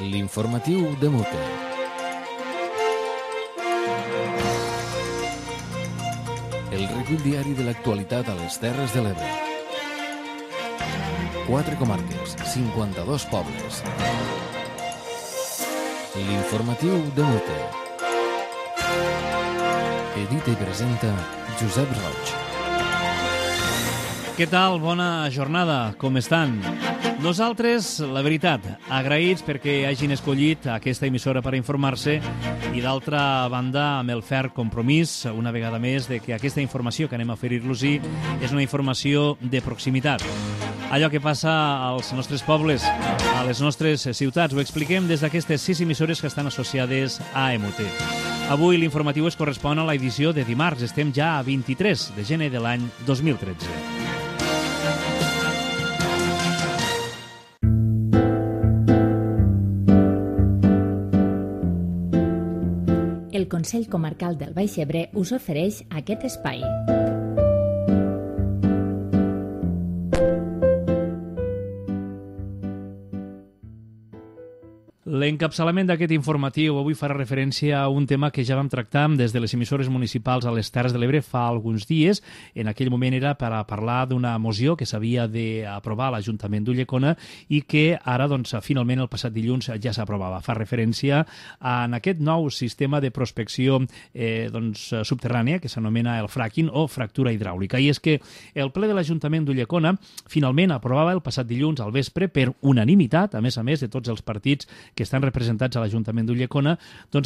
L'informatiu de Mute. El recull diari de l'actualitat a les Terres de l'Ebre. 4 comarques, 52 pobles. L'informatiu de Mute. Edita i presenta Josep Roig. Què tal? Bona jornada. Com estan? Nosaltres, la veritat, agraïts perquè hagin escollit aquesta emissora per informar-se i, d'altra banda, amb el ferm compromís, una vegada més, de que aquesta informació que anem a oferir-los-hi és una informació de proximitat. Allò que passa als nostres pobles, a les nostres ciutats, ho expliquem des d'aquestes 6 emissores que estan associades a MUT. Avui l'informatiu es correspon a l'edició de dimarts. Estem ja a 23 de gener de l'any 2013. El Consell Comarcal del Baix Ebre us ofereix aquest espai. L'encapçalament d'aquest informatiu avui farà referència a un tema que ja vam tractar des de les emissores municipals a les Terres de l'Ebre fa alguns dies. En aquell moment era per a parlar d'una moció que s'havia d'aprovar a l'Ajuntament d'Ulldecona i que ara, finalment, el passat dilluns ja s'aprovava. Fa referència a aquest nou sistema de prospecció subterrània que s'anomena el fracking o fractura hidràulica. I és que el ple de l'Ajuntament d'Ulldecona finalment aprovava el passat dilluns al vespre per unanimitat, a més de tots els partits que estan representats a l'Ajuntament d'Ulldecona,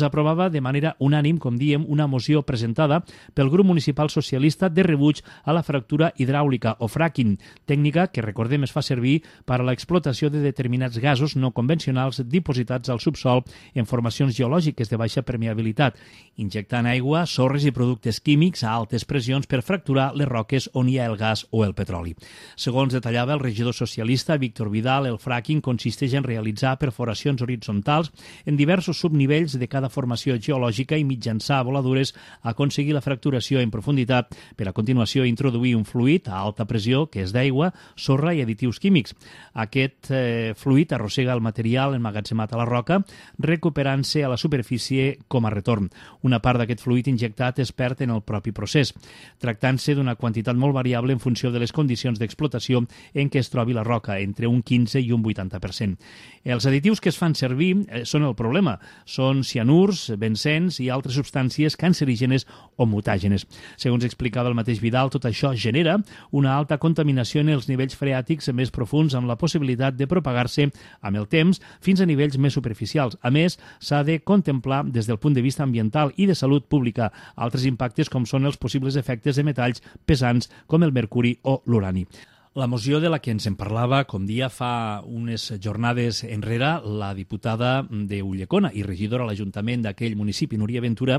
aprovava de manera unànim, com diem, una moció presentada pel grup municipal socialista de rebuig a la fractura hidràulica o fracking, tècnica que, recordem, es fa servir per a l'explotació de determinats gasos no convencionals dipositats al subsol en formacions geològiques de baixa permeabilitat, injectant aigua, sorres i productes químics a altes pressions per fracturar les roques on hi ha el gas o el petroli. Segons detallava el regidor socialista Víctor Vidal, el fracking consisteix en realitzar perforacions horitzontals en diversos subnivells de cada formació geològica i mitjançar voladures aconseguir la fracturació en profunditat per a continuació introduir un fluid a alta pressió que és d'aigua, sorra i additius químics. Aquest fluid arrossega el material emmagatzemat a la roca recuperant-se a la superfície com a retorn. Una part d'aquest fluid injectat es perd en el propi procés, tractant-se d'una quantitat molt variable en funció de les condicions d'explotació en què es trobi la roca, entre un 15 i un 80%. Els additius que es fan servir són el problema. Són cianurs, benzens i altres substàncies cancerígenes o mutàgenes. Segons explicava el mateix Vidal, tot això genera una alta contaminació en els nivells freàtics més profuns amb la possibilitat de propagar-se amb el temps fins a nivells més superficials. A més, s'ha de contemplar des del punt de vista ambiental i de salut pública altres impactes com són els possibles efectes de metalls pesants com el mercuri o l'urani. La moció de la que ens en parlava, com dia fa unes jornades enrere, la diputada d'Ulldecona i regidora a l'Ajuntament d'aquell municipi, Núria Ventura,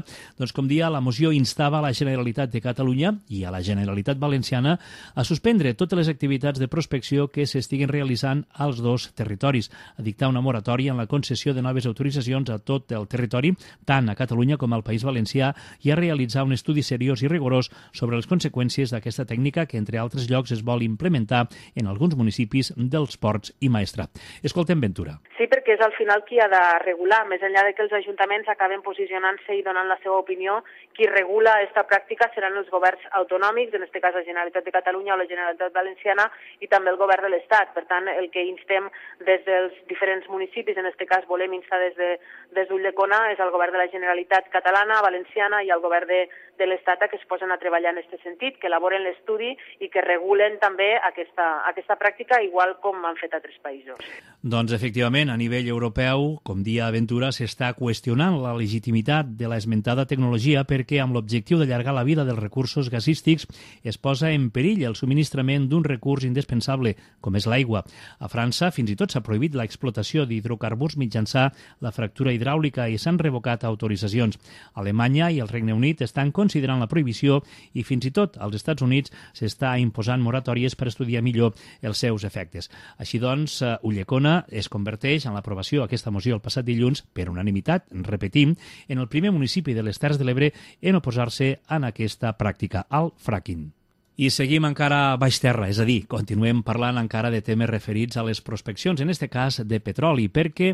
com dia, la moció instava a la Generalitat de Catalunya i a la Generalitat Valenciana a suspendre totes les activitats de prospecció que s'estiguen realitzant als dos territoris, a dictar una moratòria en la concessió de noves autoritzacions a tot el territori, tant a Catalunya com al País Valencià, i a realitzar un estudi seriós i rigorós sobre les conseqüències d'aquesta tècnica que, entre altres llocs, es vol implementar en alguns municipis dels Ports i Maestrat. Escoltem Ventura. Sí, perquè és al final qui ha de regular, més enllà de que els ajuntaments acaben posicionant-se i donant la seva opinió, qui regula aquesta pràctica seran els governs autonòmics, en aquest cas la Generalitat de Catalunya o la Generalitat Valenciana, i també el govern de l'Estat. Per tant, el que instem des dels diferents municipis, en aquest cas volem instar des d'Ulldecona, és el govern de la Generalitat catalana, valenciana i el govern de l'Estat que es posen a treballar en aquest sentit, que elaboren l'estudi i que regulen també aquesta pràctica, igual com han fet altres països. Doncs, efectivament, a nivell europeu, com dia Ventura, s'està qüestionant la legitimitat de l'esmentada tecnologia perquè, amb l'objectiu d'allargar la vida dels recursos gasístics, es posa en perill el subministrament d'un recurs indispensable, com és l'aigua. A França, fins i tot s'ha prohibit l'explotació d'hidrocarburs mitjançant la fractura hidràulica i s'han revocat autoritzacions. Alemanya i el Regne Unit estan considerant la prohibició i fins i tot als Estats Units s'està imposant moratòries per estudiar millor els seus efectes. Així doncs, Ulldecona es converteix en l'aprovació d'aquesta moció el passat dilluns per unanimitat, repetim, en el primer municipi de les Terres de l'Ebre en oposar-se a aquesta pràctica, al fracking. I seguim encara a baix terra, és a dir, continuem parlant encara de temes referits a les prospeccions, en aquest cas de petroli, perquè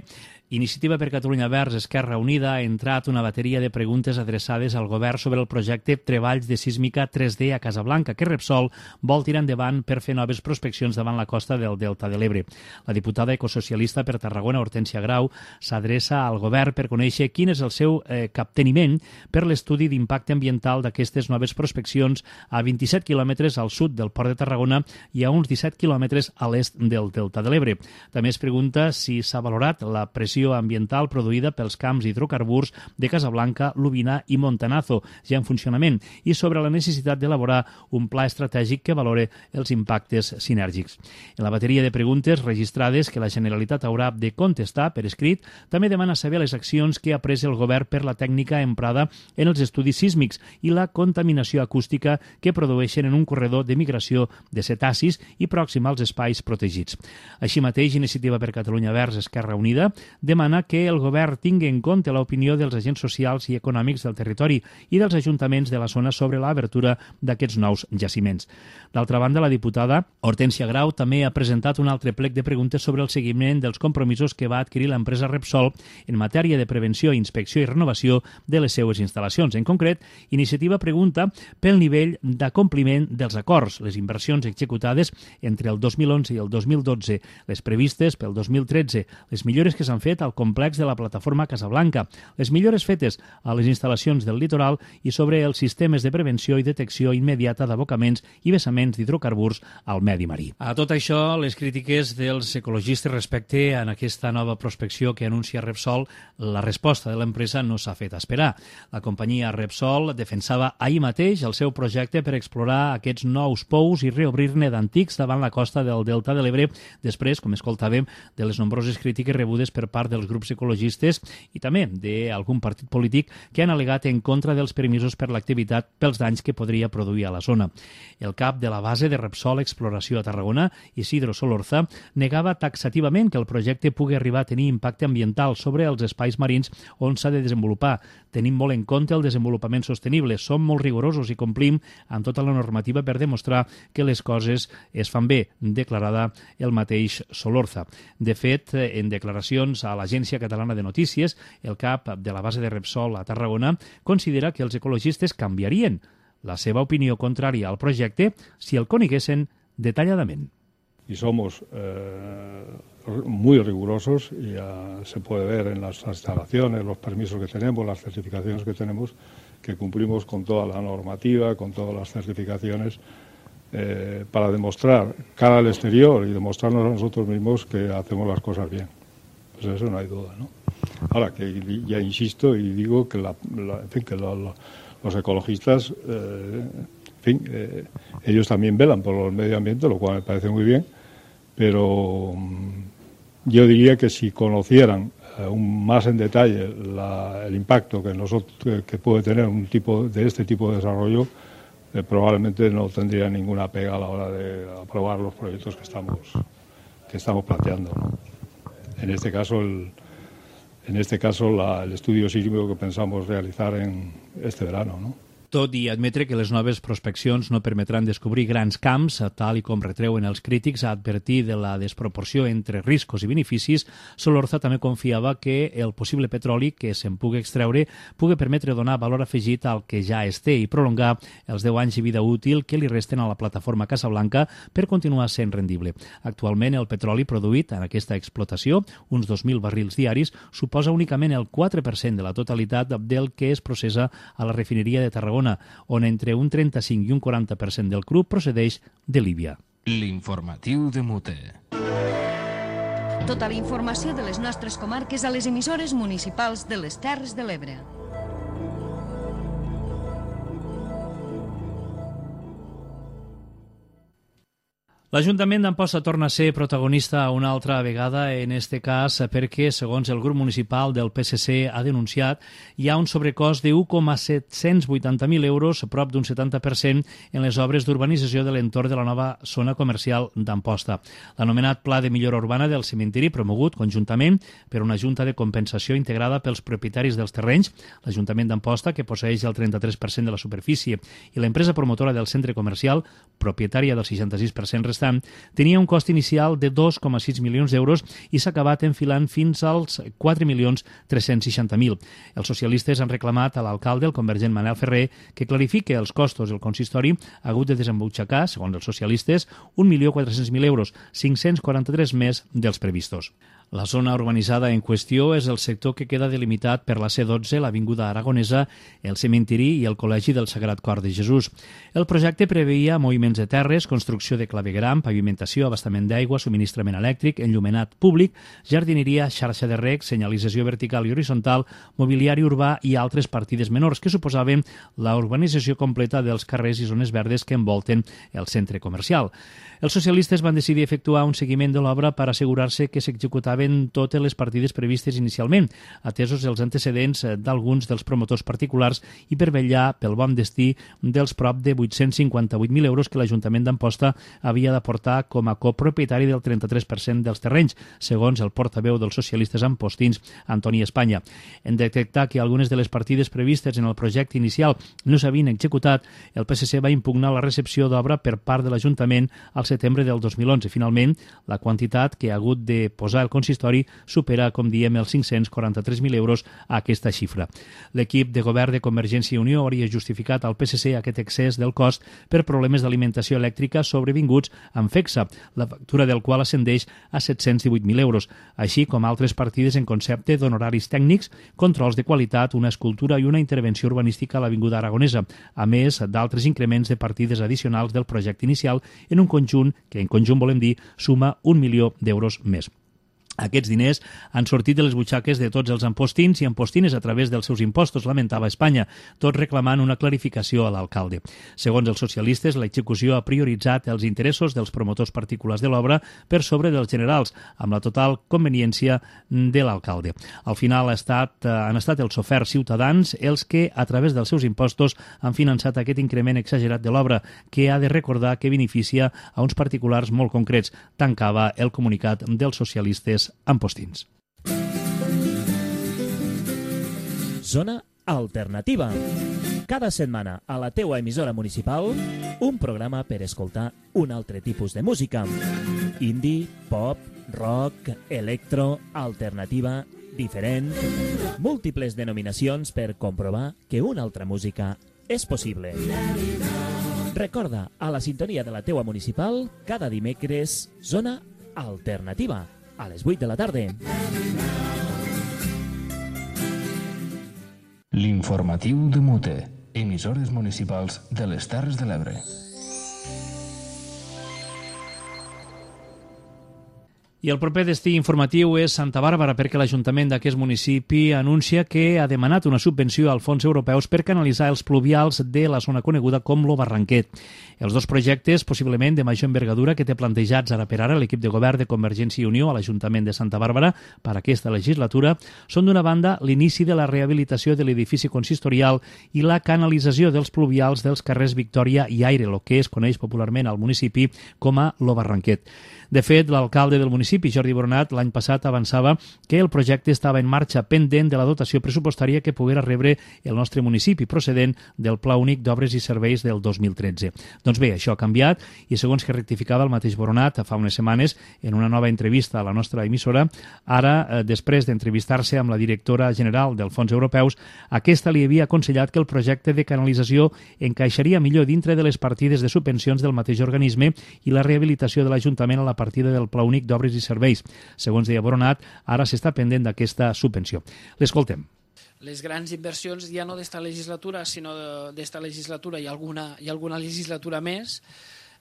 Iniciativa per Catalunya Verds Esquerra Unida ha entrat una bateria de preguntes adreçades al govern sobre el projecte Treballs de Sísmica 3D a Casablanca, que Repsol vol tirar endavant per fer noves prospeccions davant la costa del Delta de l'Ebre. La diputada ecosocialista per Tarragona, Hortència Grau, s'adreça al govern per conèixer quin és el seu capteniment per l'estudi d'impacte ambiental d'aquestes noves prospeccions a 27 quilòmetres al sud del Port de Tarragona i a uns 17 quilòmetres a l'est del Delta de l'Ebre. També es pregunta si s'ha valorat la pressió ambiental produïda pels camps hidrocarburs de Casablanca, Lubina i Montanazo, ja en funcionament, i sobre la necessitat d'elaborar un pla estratègic que valore els impactes sinèrgics. En la bateria de preguntes registrades que la Generalitat haurà de contestar per escrit, també demana saber les accions que ha pres el govern per la tècnica emprada en els estudis sísmics i la contaminació acústica que produeixen en un corredor de migració de cetacis i pròxim als espais protegits. Així mateix, Iniciativa per Catalunya Verds Esquerra Unida demana que el govern tingui en compte l'opinió dels agents socials i econòmics del territori i dels ajuntaments de la zona sobre l'obertura d'aquests nous jaciments. D'altra banda, la diputada Hortència Grau també ha presentat un altre plec de preguntes sobre el seguiment dels compromisos que va adquirir l'empresa Repsol en matèria de prevenció, inspecció i renovació de les seues instal·lacions. En concret, Iniciativa pregunta pel nivell d'acompliment dels acords, les inversions executades entre el 2011 i el 2012, les previstes pel 2013, les millores que s'han fet al complex de la plataforma Casablanca, les millores fetes a les instal·lacions del litoral i sobre els sistemes de prevenció i detecció immediata d'abocaments i vessaments d'hidrocarburs al medi marí. A tot això, les crítiques dels ecologistes respecte a aquesta nova prospecció que anuncia Repsol, la resposta de l'empresa no s'ha fet esperar. La companyia Repsol defensava ahir mateix el seu projecte per explorar aquests nous pous i reobrir-ne d'antics davant la costa del Delta de l'Ebre, després, com escoltàvem, de les nombroses crítiques rebudes per part dels grups ecologistes i també d'algun partit polític que han al·legat en contra dels permisos per l'activitat pels danys que podria produir a la zona. El cap de la base de Repsol Exploració a Tarragona, Isidro Solorza, negava taxativament que el projecte pugui arribar a tenir impacte ambiental sobre els espais marins on s'ha de desenvolupar. Tenim molt en compte el desenvolupament sostenible, som molt rigorosos i complim amb tota la normativa per demostrar que les coses es fan bé, declarada el mateix Solorza. De fet, en declaracions a l'Agència Catalana de Notícies, el cap de la base de Repsol a Tarragona considera que els ecologistes canviarien la seva opinió contrària al projecte si el coneguessin detalladament. Y somos muy rigurosos y se puede ver en las instalaciones, los permisos que tenemos, las certificaciones que tenemos, que cumplimos con toda la normativa, con todas las certificaciones para demostrar cara al exterior y demostrarnos a nosotros mismos que hacemos las cosas bien. Pues eso no hay duda, ¿no? Ahora, que ya insisto y digo que, los ecologistas, ellos también velan por el medio ambiente, lo cual me parece muy bien, pero yo diría que si conocieran más en detalle el impacto que puede tener este tipo de desarrollo, probablemente no tendría ninguna pega a la hora de aprobar los proyectos que estamos planteando, ¿no? En este caso, el estudio sísmico que pensamos realizar en este verano, ¿no? Tot i admetre que les noves prospeccions no permetran descobrir grans camps, tal i com retreuen els crítics a advertir de la desproporció entre riscos i beneficis, Solorza també confiava que el possible petroli que se'n pugui extreure pugui permetre donar valor afegit al que ja es té i prolongar els 10 anys de vida útil que li resten a la plataforma Casablanca per continuar sent rendible. Actualment, el petroli produït en aquesta explotació, uns 2.000 barrils diaris, suposa únicament el 4% de la totalitat del que es processa a la refineria de Tarragona, on entre un 35 i un 40% del cru procedeix de Líbia. L'informatiu de Mute. Tota la informació de les nostres comarques a les emissores municipals de les Terres de l'Ebre. L'Ajuntament d'Amposta torna a ser protagonista una altra vegada, en este cas perquè, segons el grup municipal del PSC ha denunciat, hi ha un sobrecost de 1,780.000 euros, prop d'un 70%, en les obres d'urbanització de l'entorn de la nova zona comercial d'Amposta. L'anomenat Pla de Millora Urbana del Cementiri, promogut conjuntament per una junta de compensació integrada pels propietaris dels terrenys, l'Ajuntament d'Amposta, que posseeix el 33% de la superfície, i l'empresa promotora del centre comercial, propietària del 66% restant, tenia un cost inicial de 2,6 milions d'euros i s'ha acabat enfilant fins als 4.360.000. Els socialistes han reclamat a l'alcalde, el convergent Manel Ferrer, que clarifique els costos. El consistori ha hagut de desembutxacar, segons els socialistes, 1.400.000 euros, 543 més dels previstos. La zona urbanitzada en qüestió és el sector que queda delimitat per la C12, l'Avinguda Aragonesa, el cementiri i el Col·legi del Sagrat Cor de Jesús. El projecte preveia moviments de terres, construcció de clavegueram, pavimentació, abastament d'aigua, subministrament elèctric, enllumenat públic, jardineria, xarxa de reg, senyalització vertical i horitzontal, mobiliari urbà i altres partides menors que suposaven la urbanització completa dels carrers i zones verdes que envolten el centre comercial. Els socialistes van decidir efectuar un seguiment de l'obra per assegurar-se que s'executaven totes les partides previstes inicialment, atesos els antecedents d'alguns dels promotors particulars i per vetllar pel bon destí dels prop de 858.000 euros que l'Ajuntament d'Amposta havia d'aportar com a copropietari del 33% dels terrenys, segons el portaveu dels socialistes ampostins, Antoni Espanya. En detectar que algunes de les partides previstes en el projecte inicial no s'havien executat, el PSC va impugnar la recepció d'obra per part de l'Ajuntament al setembre del 2011. Finalment, la quantitat que ha hagut de posar el consistori supera, com diem, els 543.000 euros a aquesta xifra. L'equip de govern de Convergència i Unió hauria justificat al PSC aquest excés del cost per problemes d'alimentació elèctrica sobrevinguts amb FECSA, la factura del qual ascendeix a 718.000 euros, així com altres partides en concepte d'honoraris tècnics, controls de qualitat, una escultura i una intervenció urbanística a l'Avinguda Aragonesa, a més d'altres increments de partides addicionals del projecte inicial en un conjunt que en conjunt volem dir suma 1 milió d'euros més. Aquests diners han sortit de les butxaques de tots els ampostins i ampostines a través dels seus impostos, lamentava Espanya, tot reclamant una clarificació a l'alcalde. Segons els socialistes, l'execució ha prioritzat els interessos dels promotors particulars de l'obra per sobre dels generals, amb la total conveniència de l'alcalde. Al final han estat els oferts ciutadans els que, a través dels seus impostos, han finançat aquest increment exagerat de l'obra, que ha de recordar que beneficia a uns particulars molt concrets, tancava el comunicat dels socialistes ampostins. Zona alternativa. Cada setmana a la teua emissora municipal un programa per escoltar un altre tipus de música. Indie, pop, rock, electro, alternativa, diferent. Múltiples denominacions per comprovar que una altra música és possible. Recorda, a la sintonia de la teua municipal, cada dimecres, Zona alternativa, a les 8 de la tarda. L'informatiu de Mute, emissores municipals de les Terres de l'Ebre. I el proper destí informatiu és Santa Bàrbara, perquè l'Ajuntament d'aquest municipi anuncia que ha demanat una subvenció als fons europeus per canalitzar els pluvials de la zona coneguda com lo Barranquet. Els dos projectes, possiblement de major envergadura que té plantejats ara per ara l'equip de govern de Convergència i Unió a l'Ajuntament de Santa Bàrbara per aquesta legislatura, són d'una banda l'inici de la rehabilitació de l'edifici consistorial i la canalització dels pluvials dels carrers Victòria i Aire, el que es coneix popularment al municipi com a lo Barranquet. De fet, l'alcalde del municipi, Jordi Boronat, l'any passat avançava que el projecte estava en marxa pendent de la dotació pressupostària que poguera rebre el nostre municipi procedent del Pla Únic d'Obres i Serveis del 2013. Doncs bé, això ha canviat i segons que rectificava el mateix Boronat fa unes setmanes en una nova entrevista a la nostra emissora, ara, després d'entrevistar-se amb la directora general dels fons europeus, aquesta li havia aconsellat que el projecte de canalització encaixaria millor dintre de les partides de subvencions del mateix organisme i la rehabilitació de l'Ajuntament a la partida del Pla Únic d'Obres i Serveis. Segons deia Boronat, ara s'està pendent d'aquesta subvenció. L'escoltem. Les grans inversions ja no d'esta legislatura, sinó d'esta legislatura i alguna legislatura més,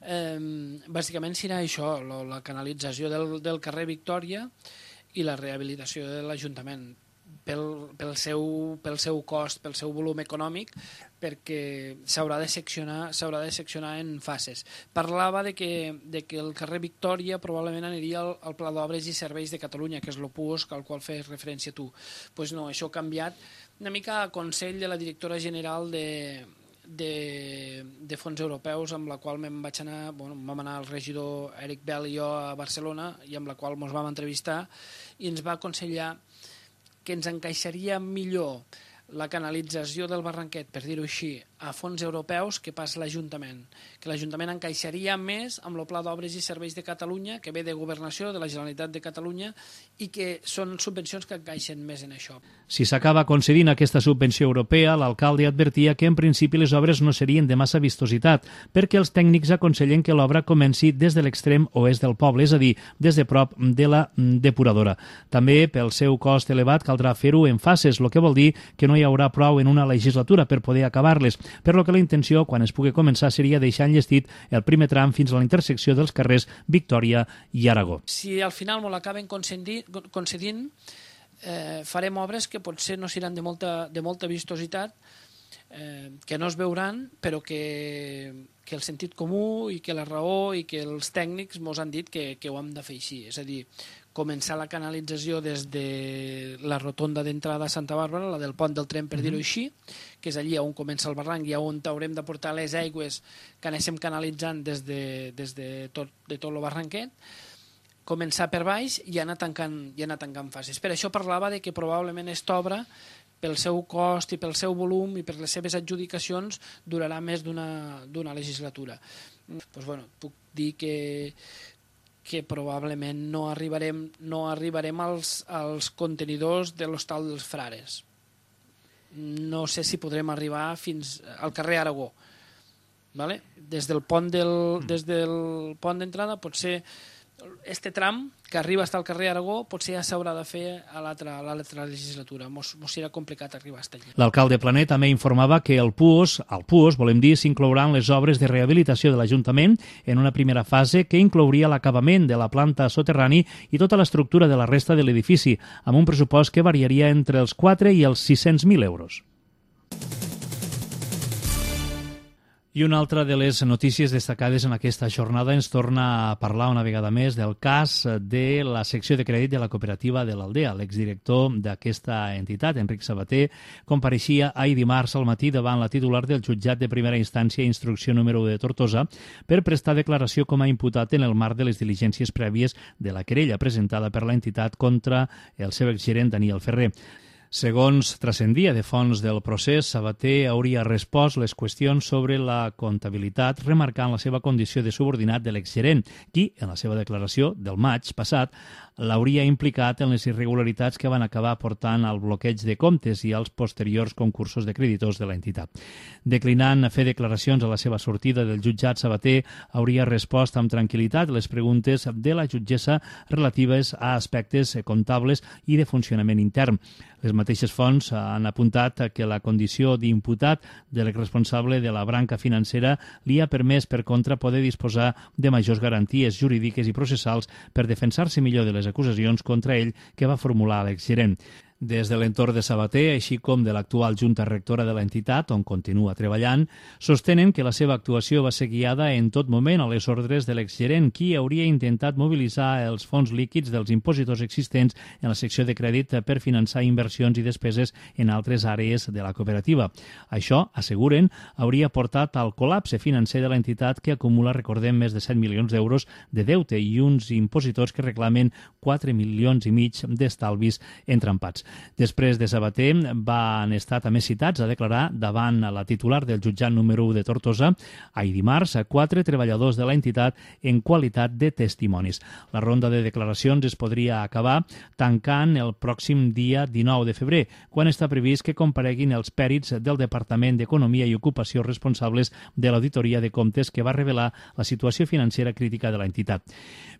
bàsicament serà això, la canalització del carrer Victòria i la rehabilitació de l'Ajuntament. pel seu cost, pel seu volum econòmic, perquè s'haurà de seccionar en fases. Parlava de que el carrer Victòria probablement aniria al Pla d'Obres i Serveis de Catalunya, que és el PUOS al qual fes referència tu. Doncs no, això ha canviat una mica a consell de la directora general de fons europeus, amb la qual vam anar el regidor Eric Bell i jo a Barcelona, i amb la qual ens vam entrevistar, i ens va aconsellar que ens encaixaria millor la canalització del Barranquet, per dir-ho així, a fons europeus que pas l'Ajuntament. Que l'Ajuntament encaixaria més amb el Pla d'Obres i Serveis de Catalunya, que ve de Governació, de la Generalitat de Catalunya, i que són subvencions que encaixen més en això. Si s'acaba concedint aquesta subvenció europea, l'alcalde advertia que en principi les obres no serien de massa vistositat, perquè els tècnics aconsellen que l'obra comenci des de l'extrem oest del poble, és a dir, des de prop de la depuradora. També, pel seu cost elevat, caldrà fer-ho en fases, el que vol dir que no hi haurà prou en una legislatura per poder acabar-les, per lo que la intenció, quan es pugui començar, seria deixar enllestit el primer tram fins a la intersecció dels carrers Victòria i Aragó. Si al final m'ho l'acaben concedint, farem obres que potser no seran de molta vistositat, que no es veuran, però que el sentit comú i que la raó i que els tècnics ens han dit que ho hem de fer així. És a dir, començar la canalització des de la rotonda d'entrada a Santa Bàrbara, la del pont del tren, per dir-ho així, que és allí on comença el barranc i on haurem de portar les aigües que anéssim canalitzant des de tot el barranquet, començar per baix i anar tancant fases. Per això parlava de que probablement aquesta obra, pel seu cost i pel seu volum i per les seves adjudicacions, durarà més d'una legislatura. Doncs, puc dir que probablement no arribarem als contenidors de l'Hostal dels Frares. No sé si podrem arribar fins al carrer Aragó. Vale? Des del pont d'entrada, potser este tram que arriba fins al carrer Aragó potser ja s'haurà de fer a l'altra legislatura. Mos serà complicat arribar fins allà. L'alcalde Plané també informava que al PUOS, volem dir, s'inclouran les obres de rehabilitació de l'Ajuntament en una primera fase que inclouria l'acabament de la planta soterrani i tota l'estructura de la resta de l'edifici, amb un pressupost que variaria entre els 4 i els 600.000 euros. I una altra de les notícies destacades en aquesta jornada ens torna a parlar una vegada més del cas de la secció de crèdit de la cooperativa de l'Aldea. L'exdirector d'aquesta entitat, Enric Sabater, compareixia ahir dimarts al matí davant la titular del jutjat de primera instància i instrucció número 1 de Tortosa per prestar declaració com a imputat en el marc de les diligències prèvies de la querella presentada per l'entitat contra el seu exgerent Daniel Ferrer. Segons transcendia de fons del procés, Sabater hauria respost les qüestions sobre la comptabilitat, remarcant la seva condició de subordinat de l'exgerent, qui, en la seva declaració del maig passat, l'hauria implicat en les irregularitats que van acabar portant al bloqueig de comptes i als posteriors concursos de creditors de l'entitat. Declinant fer declaracions a la seva sortida del jutjat, Sabater hauria respost amb tranquil·litat les preguntes de la jutgessa relatives a aspectes comptables i de funcionament intern. Les mateixes fonts han apuntat que la condició d'imputat de l'exresponsable de la branca financera li ha permès, per contra, poder disposar de majors garanties jurídiques i processals per defensar-se millor de les acusacions contra ell que va formular l'exgerent. Des de l'entorn de Sabater, així com de l'actual junta rectora de l'entitat, on continua treballant, sostenen que la seva actuació va ser guiada en tot moment a les ordres de l'exgerent, qui hauria intentat mobilitzar els fons líquids dels impositors existents en la secció de crèdit per finançar inversions i despeses en altres àrees de la cooperativa. Això, asseguren, hauria portat al col·lapse financer de l'entitat que acumula, recordem, més de 7 milions d'euros de deute i uns impositors que reclamen 4,5 milions d'estalvis entrampats. Després de Sabater, van estar també citats a declarar davant la titular del jutjat número 1 de Tortosa, ahir dimarts, 4 treballadors de l'entitat en qualitat de testimonis. La ronda de declaracions es podria acabar tancant el pròxim dia 19 de febrer, quan està previst que compareguin els pèrits del Departament d'Economia i Ocupació responsables de l'auditoria de comptes que va revelar la situació financera crítica de l'entitat.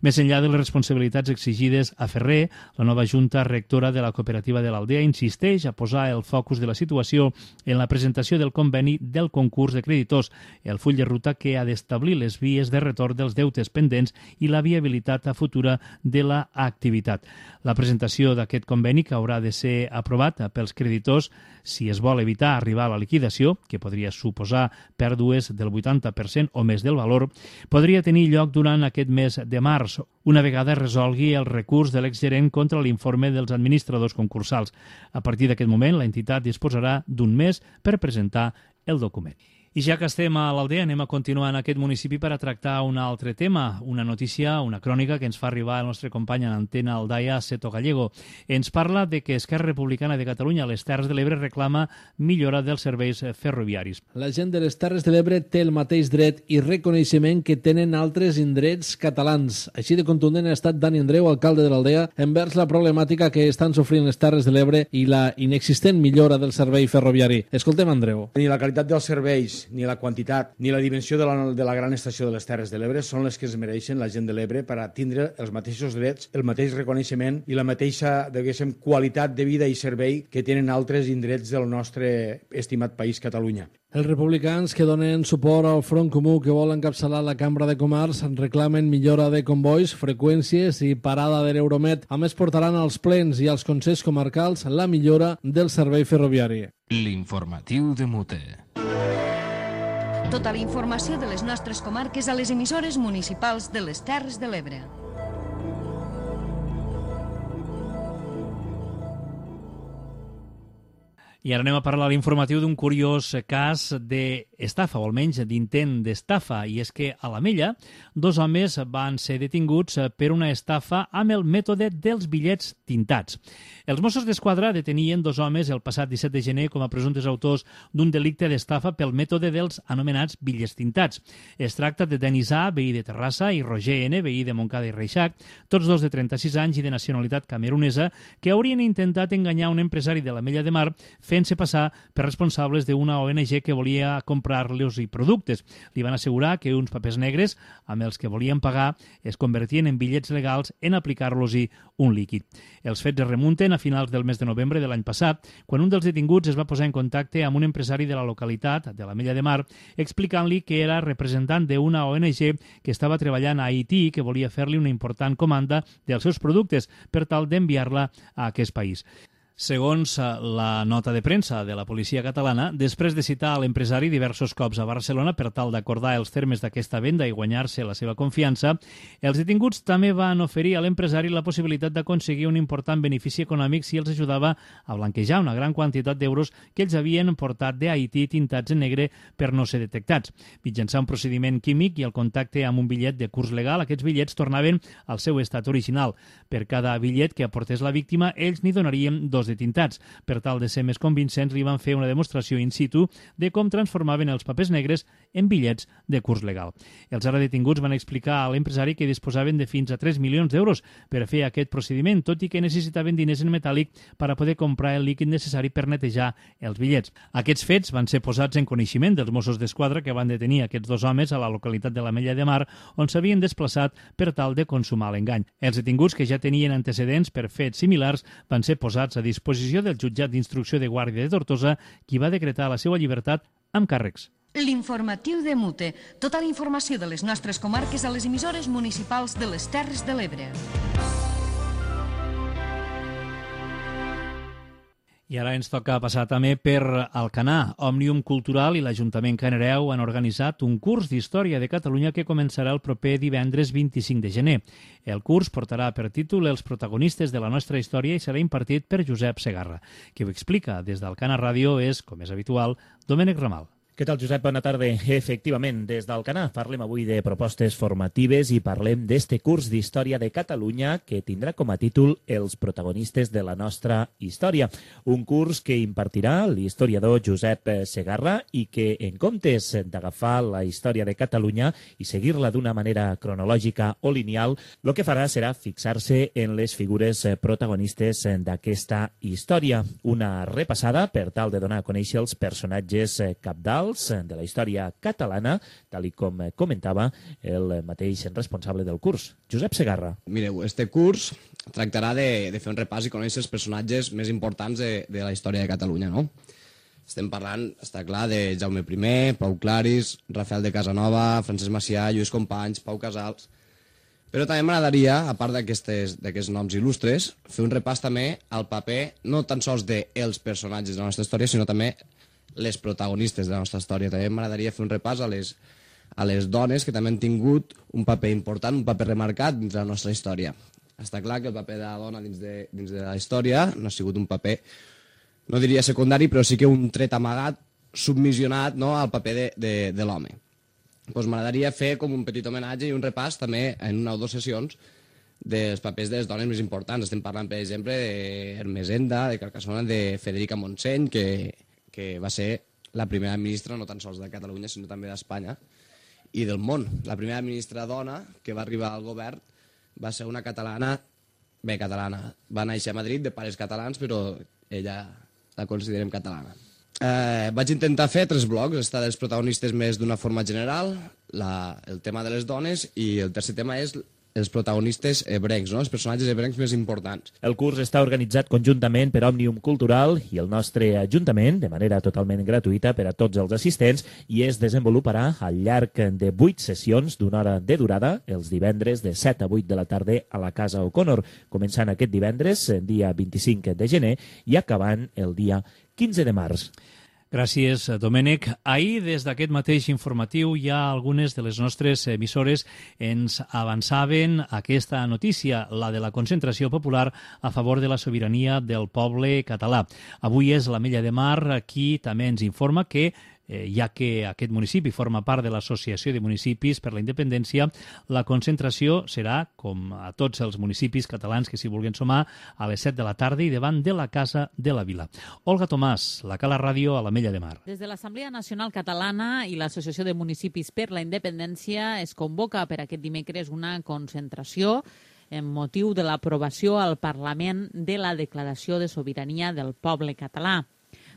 Més enllà de les responsabilitats exigides a Ferrer, la nova junta rectora de la cooperativa de l'Aldea insisteix a posar el focus de la situació en la presentació del conveni del concurs de creditors, el full de ruta que ha d'establir les vies de retorn dels deutes pendents i la viabilitat futura de l'activitat. La presentació d'aquest conveni, que haurà de ser aprovat pels creditors si es vol evitar arribar a la liquidació, que podria suposar pèrdues del 80% o més del valor, podria tenir lloc durant aquest mes de març, una vegada resolgui el recurs de l'exgerent contra l'informe dels administradors concursals. A partir d'aquest moment, l'entitat disposarà d'un mes per presentar el document. I ja que estem a l'Aldea, anem a continuar en aquest municipi per a tractar un altre tema, una notícia, una crònica que ens fa arribar el nostre company en antena Aldaia, Seto Gallego. Ens parla de que Esquerra Republicana de Catalunya a les Terres de l'Ebre reclama millora dels serveis ferroviaris. La gent de les Terres de l'Ebre té el mateix dret i reconeixement que tenen altres indrets catalans. Així de contundent ha estat Dani Andreu, alcalde de l'Aldea, envers la problemàtica que estan sofrint les Terres de l'Ebre i la inexistent millora del servei ferroviari. Escoltem Andreu. Ni la qualitat dels serveis, ni la quantitat, ni la dimensió de la gran estació de les Terres de l'Ebre són les que es mereixen la gent de l'Ebre per a tindre els mateixos drets, el mateix reconeixement i la mateixa, diguéssim, qualitat de vida i servei que tenen altres indrets del nostre estimat país, Catalunya. Els republicans que donen suport al Front Comú que vol encapçalar la Cambra de Comerç reclamen millora de convois, freqüències i parada de l'Euromet. A més, portaran als plens i als consells comarcals la millora del servei ferroviari. L'informatiu de Mute. Tota la informació de les nostres comarques a les emissores municipals de les Terres de l'Ebre. I ara anem a parlar a l'informatiu d'un curiós cas d'estafa, o almenys d'intent d'estafa, i és que a l'Ametlla 2 homes van ser detinguts per una estafa amb el mètode dels bitllets tintats. Els Mossos d'Esquadra detenien 2 homes el passat 17 de gener com a presumptes autors d'un delicte d'estafa pel mètode dels anomenats bitllets tintats. Es tracta de Denis A, veí de Terrassa, i Roger N, veí de Montcada i Reixac, tots dos de 36 anys i de nacionalitat camerunesa, que haurien intentat enganyar un empresari de l'Ametlla de Mar fent-se passar per responsables d'una ONG que volia comprar-los i productes. Li van assegurar que uns papers negres amb els que volien pagar es convertien en bitllets legals en aplicar-los-hi un líquid. Els fets es remunten a finals del mes de novembre de l'any passat, quan un dels detinguts es va posar en contacte amb un empresari de la localitat, de l'Ametlla de Mar, explicant-li que era representant d'una ONG que estava treballant a Haití i que volia fer-li una important comanda dels seus productes per tal d'enviar-la a aquest país. Segons la nota de premsa de la policia catalana, després de citar l'empresari diversos cops a Barcelona per tal d'acordar els termes d'aquesta venda i guanyar-se la seva confiança, els detinguts també van oferir a l'empresari la possibilitat d'aconseguir un important benefici econòmic si els ajudava a blanquejar una gran quantitat d'euros que ells havien portat d'Haití tintats en negre per no ser detectats. Mitjançant un procediment químic i el contacte amb un bitllet de curs legal, aquests bitllets tornaven al seu estat original. Per cada bitllet que aportés la víctima, ells n'hi donarien 2 de tintats. Per tal de ser més convincents, li van fer una demostració in situ de com transformaven els papers negres en bitllets de curs legal. Els ara detinguts van explicar a l'empresari que disposaven de fins a 3 milions d'euros per fer aquest procediment, tot i que necessitaven diners en metàl·lic per a poder comprar el líquid necessari per netejar els bitllets. Aquests fets van ser posats en coneixement dels Mossos d'Esquadra, que van detenir aquests 2 homes a la localitat de l'Ametlla de Mar, on s'havien desplaçat per tal de consumar l'engany. Els detinguts, que ja tenien antecedents per fets similars, van ser posats a disposició del jutjat d'instrucció de Guàrdia de Tortosa, qui va decretar la seva llibertat amb càrrecs. L'informatiu de Mute. Tota la informació de les nostres comarques a les emissores municipals de les Terres de l'Ebre. I ara ens toca passar també per Alcanar. Òmnium Cultural i l'Ajuntament Canareu han organitzat un curs d'Història de Catalunya que començarà el proper divendres 25 de gener. El curs portarà per títol Els protagonistes de la nostra història i serà impartit per Josep Segarra. Qui ho explica des d'Alcanar Ràdio és, com és habitual, Domènec Ramal. Què tal, Josep? Bona tarda. Efectivament, des d'Alcanar parlem avui de propostes formatives i parlem d'este curs d'Història de Catalunya que tindrà com a títol Els protagonistes de la nostra història. Un curs que impartirà l'historiador Josep Segarra i que, en comptes d'agafar la història de Catalunya i seguir-la d'una manera cronològica o lineal, el que farà serà fixar-se en les figures protagonistes d'aquesta història. Una repassada per tal de donar a conèixer els personatges cabdals de la història catalana, tal com comentava el mateix responsable del curs, Josep Segarra. Mireu, este curs tractarà de fer un repàs i conèixer els personatges més importants de la història de Catalunya, no? Estem parlant, està clar, de Jaume I, Pau Claris, Rafael de Casanova, Francesc Macià, Lluís Companys, Pau Casals. Però també m'agradaria, a part d'aquests noms il·lustres, fer un repàs també al paper no tan sols dels personatges de la nostra història, sinó també les protagonistes de la nostra història. També m'agradaria fer un repàs a les dones que també han tingut un paper important, un paper remarcat dins de la nostra història. Està clar que el paper de la dona dins de la història no ha sigut un paper, no diria secundari, però sí que un tret amagat, submissionat, no, al paper de l'home. Doncs m'agradaria fer com un petit homenatge i un repàs també en una o dues sessions dels papers de les dones més importants. Estem parlant, per exemple, d'Hermesenda, de Carcassona, de Federica Montseny, que va ser la primera ministra no tan sols de Catalunya, sinó també d'Espanya i del món. La primera ministra dona que va arribar al govern va ser una catalana, va néixer a Madrid de pares catalans, però ella la considerem catalana. Vaig intentar fer 3 blocs, estar dels protagonistes més d'una forma general, el tema de les dones, i el tercer tema és els protagonistes ebrencs, no? Els personatges ebrencs més importants. El curs està organitzat conjuntament per Òmnium Cultural i el nostre Ajuntament, de manera totalment gratuïta per a tots els assistents, i es desenvoluparà al llarg de 8 sessions d'una hora de durada, els divendres de 7 a 8 de la tarda a la Casa O'Connor, començant aquest divendres, dia 25 de gener, i acabant el dia 15 de març. Gràcies, Domènec. Ahir, des d'aquest mateix informatiu, ja algunes de les nostres emissores ens avançaven aquesta notícia, la de la concentració popular a favor de la sobirania del poble català. Avui és l'Ametlla de Mar qui també ens informa que ja que aquest municipi forma part de l'Associació de Municipis per la Independència, la concentració serà, com a tots els municipis catalans que s'hi vulguin sumar, a les 7 de la tarda i davant de la Casa de la Vila. Olga Tomàs, la Cala Ràdio a l'Ametlla de Mar. Des de l'Assemblea Nacional Catalana i l'Associació de Municipis per la Independència es convoca per aquest dimecres una concentració en motiu de l'aprovació al Parlament de la Declaració de Sobirania del Poble Català.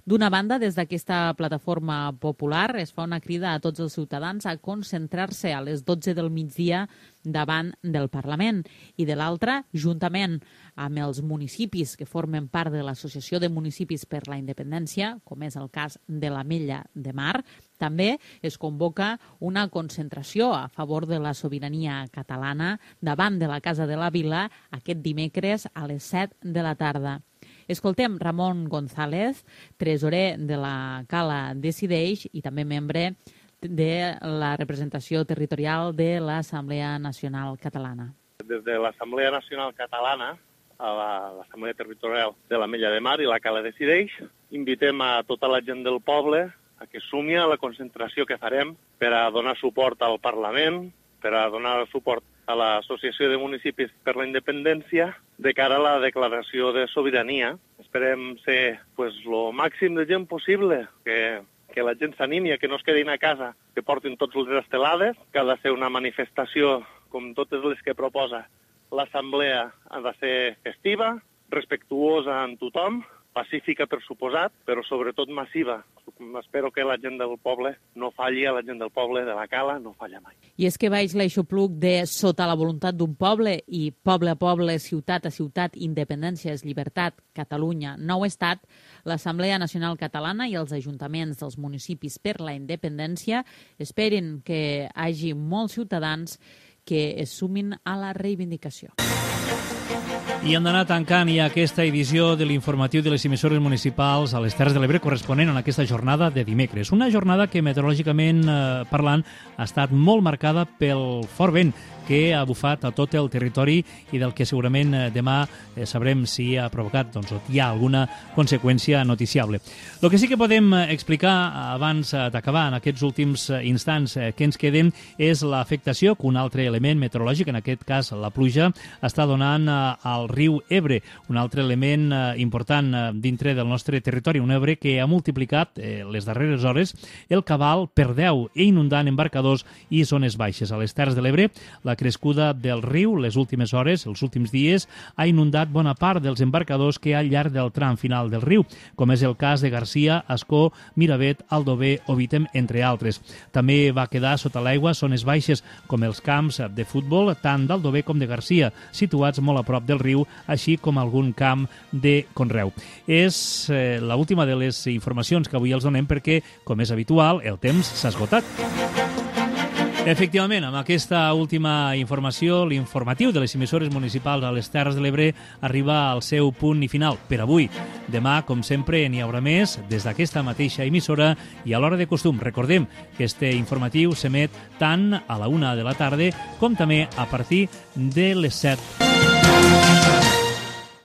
D'una banda, des d'aquesta plataforma popular es fa una crida a tots els ciutadans a concentrar-se a les 12 del migdia davant del Parlament i de l'altra, juntament amb els municipis que formen part de l'Associació de Municipis per la Independència, com és el cas de l'Ametlla de Mar, també es convoca una concentració a favor de la sobirania catalana davant de la Casa de la Vila aquest dimecres a les 7 de la tarda. Escoltem Ramon González, tresorer de la Cala Decideix i també membre de la representació territorial de l'Assemblea Nacional Catalana. Des de l'Assemblea Nacional Catalana a l'Assemblea Territorial de l'Ametlla de Mar i la Cala Decideix, invitem a tota la gent del poble a que sumi a la concentració que farem per a donar suport al Parlament, per a donar suport a l'Associació de Municipis per la Independència de cara a la declaració de sobirania. Esperem ser lo màxim de gent possible, que la gent s'animi a que no es quedin a casa, que portin tots les estelades, que ha de ser una manifestació com totes les que proposa l'Assemblea, ha de ser festiva, respectuosa amb tothom, pacífica per suposat, però sobretot massiva. Espero que la gent del poble no falli, a la gent del poble de la Cala no falla mai. I és que baix l'aixopluc de sota la voluntat d'un poble i poble a poble, ciutat a ciutat, independència és llibertat, Catalunya, nou estat, l'Assemblea Nacional Catalana i els ajuntaments dels municipis per la independència esperen que hi hagi molts ciutadans que es sumin a la reivindicació. I hem d'anar tancant ja aquesta edició de l'informatiu de les emissores municipals a les Terres de l'Ebre corresponent a aquesta jornada de dimecres. Una jornada que meteorològicament parlant ha estat molt marcada pel fort vent que ha bufat a tot el territori i del que segurament demà sabrem si ha provocat o hi ha alguna conseqüència noticiable. El que sí que podem explicar abans d'acabar en aquests últims instants que ens queden és l'afectació que un altre element meteorològic, en aquest cas la pluja, està donant al riu Ebre, un altre element important dintre del nostre territori, un Ebre que ha multiplicat les darreres hores el cabal per 10 i inundant embarcadors i zones baixes. A les Terres de l'Ebre, la La crescuda del riu, les últimes hores, els últims dies, ha inundat bona part dels embarcadors que hi ha al llarg del tram final del riu, com és el cas de Garcia, Ascó, Miravet, Aldover o Vítem, entre altres. També va quedar sota l'aigua zones baixes, com els camps de futbol, tant d'Aldover com de Garcia, situats molt a prop del riu, així com algun camp de conreu. És l'última de les informacions que avui els donem perquè, com és habitual, el temps s'ha esgotat. Efectivament, amb aquesta última informació, l'informatiu de les emissores municipals a les Terres de l'Ebre arriba al seu punt i final per avui. Demà, com sempre, n'hi haurà més des d'aquesta mateixa emissora i a l'hora de costum. Recordem que este informatiu s'emet tant a la 1 de la tarda com també a partir de les 7.